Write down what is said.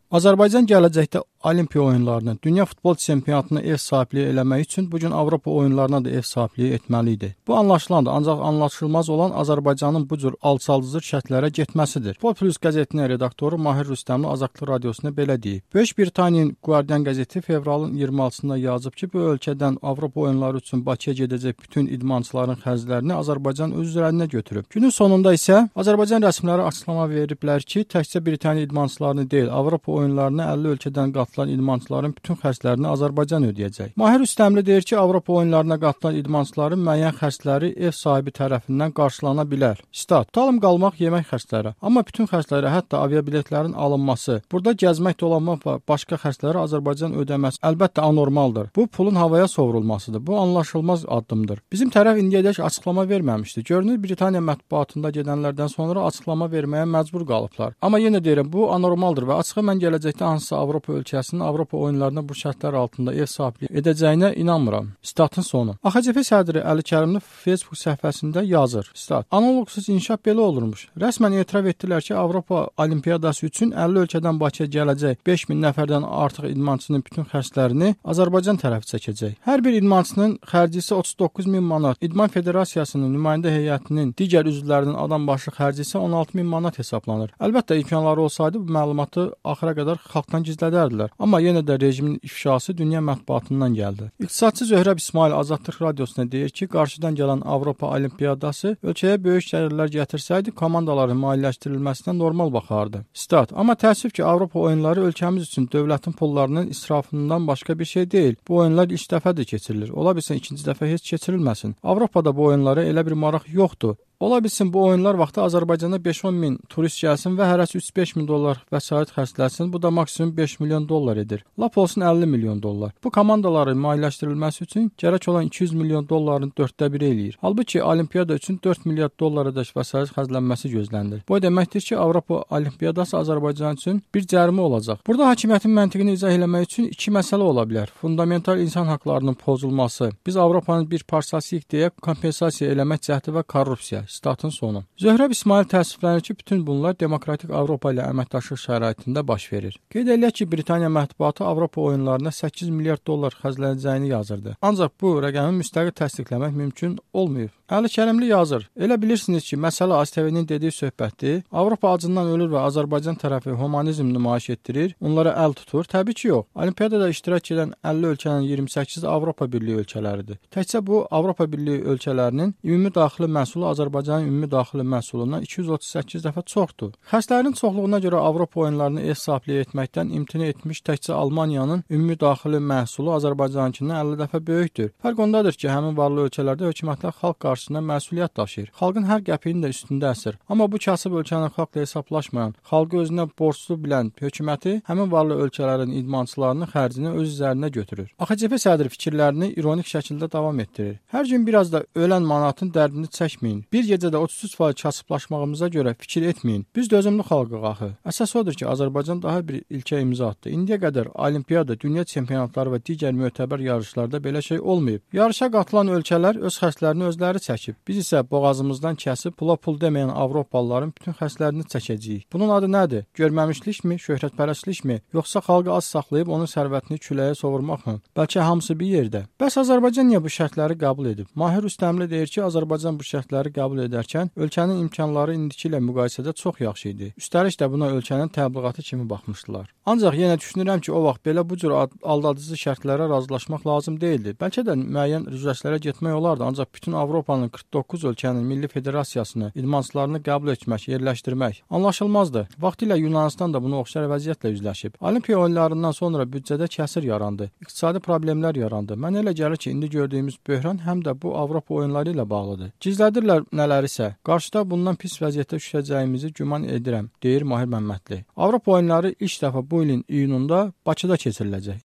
Azərbaycan gələcəkdə Olimpiya oyunlarına, dünya futbol çempionatına ev sahibliyi eləmək üçün bu gün Avropa oyunlarına da ev sahibliyi etməli idi. Bu anlaşılandır, ancaq anlaşılmaz olan Azərbaycanın bu cür alçaldıcı şərtlərə getməsidir. Futbol Plus qəzetinin redaktoru Mahir Rüstəmli Azadlıq Radiosuna belə deyib. Böyük Britaniyanın Guardian qəzeti fevralın 26-sında yazıb ki, bu ölkədən Avropa oyunları üçün Bakıya gedəcək bütün idmançıların xərclərini Azərbaycan öz üzərinə götürüb. Günün sonunda isə Azərbaycan rəsmiləri açıqlama veriblər ki, təkcə Britaniya idmançılarını deyil, Avropa oyunlarına 50 ölkədən qatılan idmançıların bütün xərclərini Azərbaycan ödəyəcək. Mahir Rüstəmli deyir ki, Avropa oyunlarına qatılan idmançıların müəyyən xərcləri ev sahibi tərəfindən qarşılana bilər. Stat: tutalım qalmaq, yemək xərcləri. Amma bütün xərcləri, hətta aviabiletlərin alınması, burada gəzmək, dolanmaq və başqa xərcləri Azərbaycan ödəməsi əlbəttə anormaldır. Bu pulun havaya sovrulmasıdır. Bu anlaşılmaz addımdır. Bizim tərəf indiyədək açıqlama verməmişdi. Görünür Britaniya mətbuatında gedənlərdən sonra açıqlama verməyə məcbur qalıblar. Amma yenə deyirəm, bu anormaldır və açığı mən gələcəkdə hansısa Avropa ölkəsinin Avropa oyunlarına bu şərtlər altında ev sahibliyi edəcəyinə inanmıram. Statın sonu. AXCP sədri Əli Kərimli Facebook səhifəsində yazır. Stat: analoqsuz inkişaf belə olurmuş. Rəsmən etiraf etdilər ki, Avropa Olimpiyadası üçün 50 ölkədən Bakıya gələcək 5000 nəfərdən artıq idmançının bütün xərclərini Azərbaycan tərəfi çəkəcək. Hər bir idmançının xərci isə 39.000 manat. İdman Federasiyasının nümayəndə heyətinin digər üzvlərinin adam başı xərci isə 16.000 manat hesablanır. Əlbəttə imkanları olsaydı bu məlumatı axıra qədər xalqdan gizlədərdilər. Amma yenə də rejimin ifşası dünya mətbuatından gəldi. İqtisadçı Zöhrəb İsmail Azadlıq Radiosuna deyir ki, qarşıdan gələn Avropa Olimpiyadası ölkəyə böyük gəlirlər gətirsəydi, komandaların maliyyələşdirilməsinə normal baxardı. Stat: amma təəssüf ki, Avropa oyunları ölkəmiz üçün dövlətin pullarının israfından başqa bir şey deyil. Bu oyunlar ilk dəfədir keçirilir. Ola bilsin ikinci dəfə heç keçirilməsin. Avropada bu oyunlara elə bir maraq yoxdur. Ola bilsin bu oyunlar vaxtı Azərbaycana 5-10 min turist gəlsin və hərəsi 3-5 min dollar vəsait xərcləsin. Bu da maksimum 5 milyon dollar edir. Lap olsun 50 milyon dollar. Bu komandaların maliyyələşdirilməsi üçün gərək olan 200 milyon dolların 1/4 eləyir. Halbuki olimpiyada üçün 4 milyard dollara-dək vəsait xərclənməsi gözlənilir. Bu deməkdir ki, Avropa Olimpiyadası Azərbaycan üçün bir cərimə olacaq. Burada hakimiyyətin məntiqini izah etmək üçün iki məsələ ola bilər. Fundamental insan haqlarının pozulması, biz Avropanın bir parçasıyıq deyə kompensasiya eləmək cəhdi və korrupsiya. Statın sonu. Zöhrəb İsmail təəssüflənir ki, bütün bunlar demokratik Avropa ilə əməkdaşlıq şəraitində baş verir. Qeyd edək ki, Britaniya mətbuatı Avropa oyunlarına 8 milyard dollar xərclənəcəyini yazırdı. Ancaq bu rəqəmi müstəqil təsdiqləmək mümkün olmayıb. Əli Kərimli yazır. Elə bilirsiniz ki, məsələ ASTV-nin dediyi söhbətdir. Avropa acından ölür və Azərbaycan tərəfi humanizm nümayiş etdirir, onlara əl tutur. Təbii ki, yox. Olimpiyadada iştirak edən 50 ölkənin 28-i Avropa Birliyi ölkələridir. Təkcə bu Avropa Birliyi ölkələrinin ümumi daxili məhsulu Azərbaycanın ümumi daxili məhsulundan 238 dəfə çoxdur. Xərclərin çoxluğuna görə Avropa oyunlarını ev sahibliyi etməkdən imtina etmiş təkcə Almaniyanın ümumi daxili məhsulu Azərbaycanınkindən 50 dəfə böyükdür. Fərq ondadır ki, həmin varlı ölkələrdə hökumətlər xalq qarşısında məsuliyyət daşıyır. Xalqın hər qəpiyinin də üstündə əsir. Amma bu kasıb ölkənin xalqla hesablaşmayan, xalqı özünə borclu bilən hökuməti həmin varlı ölkələrin idmançılarının xərcini öz üzərinə götürür. AXCP sədri fikirlərini ironik şəkildə davam etdirir. Hər gün biraz da ölən manatın dərdini çəkməyin. Bir gecədə 33% kasıblaşmağımıza görə fikir etməyin. Biz dözümlü xalqıq axı. Əsas odur ki, Azərbaycan daha bir ilkə imza atdı. İndiyə qədər olimpiyada, dünya çempionatları və digər mötəbər yarışlarda belə şey olmayıb. Yarışa qatılan ölkələr öz xərclərini özləri çəkib. Biz isə boğazımızdan kəsib pula pul deməyən Avropalıların bütün xərclərini çəkəcəyik. Bunun adı nədir? Görməmişlikmi, şöhrətpərəstlikmi, yoxsa xalqı az saxlayıb onun sərvətini küləyə sovurmaqmı? Bəlkə hamısı bir yerdə. Bəs Azərbaycan niyə bu şərtləri qəbul edib? Mahir Rüstəmli deyir ki, Azərbaycan bu şərtləri qəbul edərkən ölkənin imkanları indiki ilə müqayisədə çox yaxşı idi. Üstəlik də buna ölkənin təbliğatı kimi baxmışdılar. Ancaq yenə düşünürəm ki, o vaxt belə bu cür aldadıcı şərtlərə razılaşmaq lazım değildi. Bəlkə də müəyyən üzləşlərə getmək olardı, ancaq bütün Avropanın 49 ölkənin milli federasiyasını, idmançılarını qəbul etmək, yerləşdirmək anlaşılmazdı. Vaxtilə Yunanistan da buna oxşar vəziyyətlə üzləşib. Olimpiya oyunlarından sonra büdcədə kəsir yarandı. İqtisadi problemlər yarandı. Mən elə gəlir ki, indi gördüyümüz böhran həm də bu Avropa oyunları ilə bağlıdır. Gizlədirlər nələrisə. Qarşıda bundan pis vəziyyətdə düşəcəyimizi güman edirəm, deyir Mahir Məmmədli. Avropa oyunları ilk dəfə bu ilin iyununda Bakıda keçiriləcək.